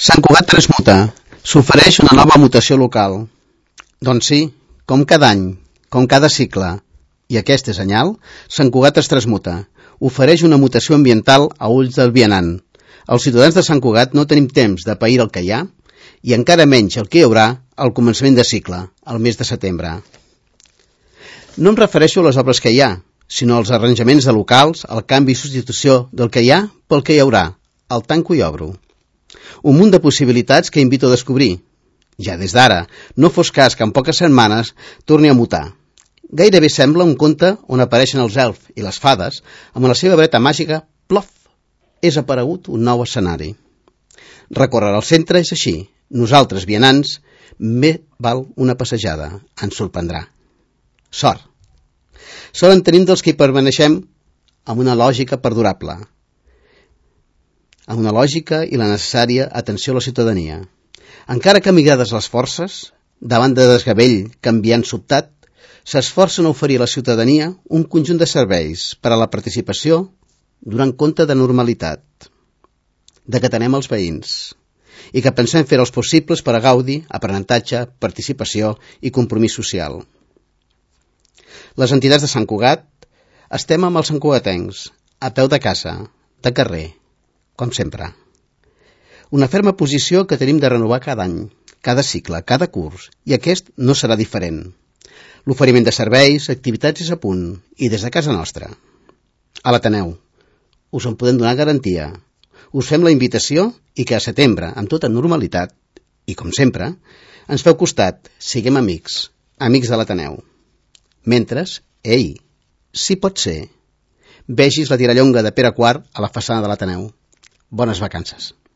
Sant Cugat transmuta. S'ofereix una nova mutació local. Doncs sí, com cada any, com cada cicle, i aquest és senyal, Sant Cugat es transmuta. Ofereix una mutació ambiental a ulls del vianant. Els ciutadans de Sant Cugat no tenim temps de pair el que hi ha, i encara menys el que hi haurà al començament de cicle, al mes de setembre. No em refereixo a les obres que hi ha, sinó als arranjaments de locals, al canvi i substitució del que hi ha pel que hi haurà, el tanco i obro. Un munt de possibilitats que invito a descobrir. Ja des d'ara, no fos cas que en poques setmanes torni a mutar. Gairebé sembla un conte on apareixen els elfs i les fades, amb la seva vareta màgica, plof, és aparegut un nou escenari. Recórrer al centre és així. Nosaltres, vianants, bé val una passejada. Ens sorprendrà. Sort. Sort en tenim dels que hi permaneixem amb una lògica perdurable, amb una lògica i la necessària atenció a la ciutadania. Encara que migrades les forces, davant de desgavell canviant sobtat, s'esforcen a oferir a la ciutadania un conjunt de serveis per a la participació donant compte de normalitat, de que atenem els veïns i que pensem fer els possibles per a gaudi, aprenentatge, participació i compromís social. Les entitats de Sant Cugat estem amb els santcugatencs, a peu de casa, de carrer, com sempre. Una ferma posició que tenim de renovar cada any, cada cicle, cada curs, i aquest no serà diferent. L'oferiment de serveis, activitats és a punt, i des de casa nostra. A l'Ateneu. Us en podem donar garantia. Us fem la invitació i que a setembre, amb tota normalitat, i com sempre, ens feu costat, siguem amics, amics de l'Ateneu. Mentre, ei, si pot ser, vegis la tirallonga de Pere IV a la façana de l'Ateneu. Bones vacances.